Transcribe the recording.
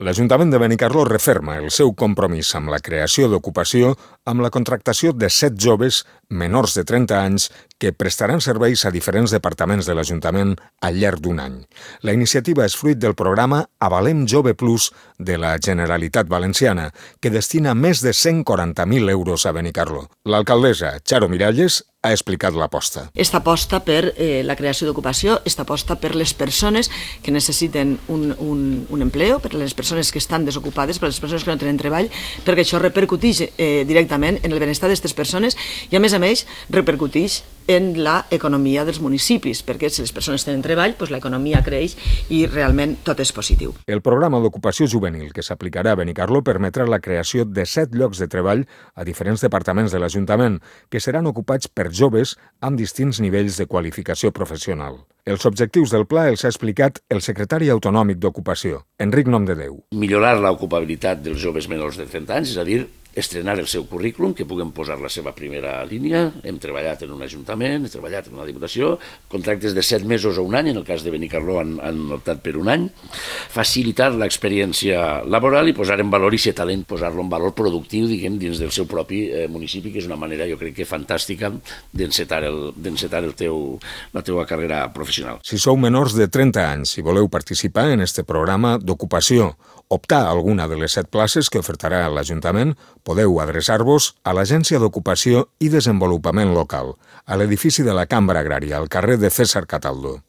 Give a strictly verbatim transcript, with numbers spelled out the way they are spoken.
L'Ajuntament de Benicarló referma el seu compromís amb la creació d'ocupació amb la contractació de set joves menors de trenta anys que prestaran serveis a diferents departaments de l'Ajuntament al llarg d'un any. La iniciativa és fruit del programa Avalem Jove Plus de la Generalitat Valenciana, que destina més de cent quaranta mil euros a Benicarló. L'alcaldessa Charo Miralles ha explicat l'aposta. Esta aposta per eh, la creació d'ocupació, esta aposta per les persones que necessiten un, un, un empleo, per les persones que estan desocupades, per les persones que no tenen treball, perquè això repercuteix eh, directament en el benestar d'aquestes persones i, a més a més, repercuteix en l'economia dels municipis, perquè si les persones tenen treball, doncs l'economia creix i realment tot és positiu. El programa d'ocupació juvenil que s'aplicarà a Benicarló permetrà la creació de set llocs de treball a diferents departaments de l'Ajuntament, que seran ocupats per joves amb distints nivells de qualificació professional. Els objectius del pla els ha explicat el secretari autonòmic d'Ocupació, Enric Nomdedeu. Millorar l'ocupabilitat dels joves menors de trenta anys, és a dir, estrenar el seu currículum, que puguem posar la seva primera línia. Hem treballat en un ajuntament, hem treballat en una diputació, contractes de set mesos o un any, en el cas de Benicarló han, han optat per un any. Facilitar l'experiència laboral i posar en valor aquest talent, posar-lo en valor productiu, diguem, dins del seu propi eh, municipi, que és una manera, jo crec que fantàstica, d'encetar el, d'encetar el teu, la teva carrera professional. Si sou menors de trenta anys i voleu participar en este programa d'ocupació, optar a alguna de les set places que ofertarà l'Ajuntament, podeu adreçar-vos a l'Agència d'Ocupació i Desenvolupament Local, a l'edifici de la Cambra Agrària, al carrer de César Cataldo.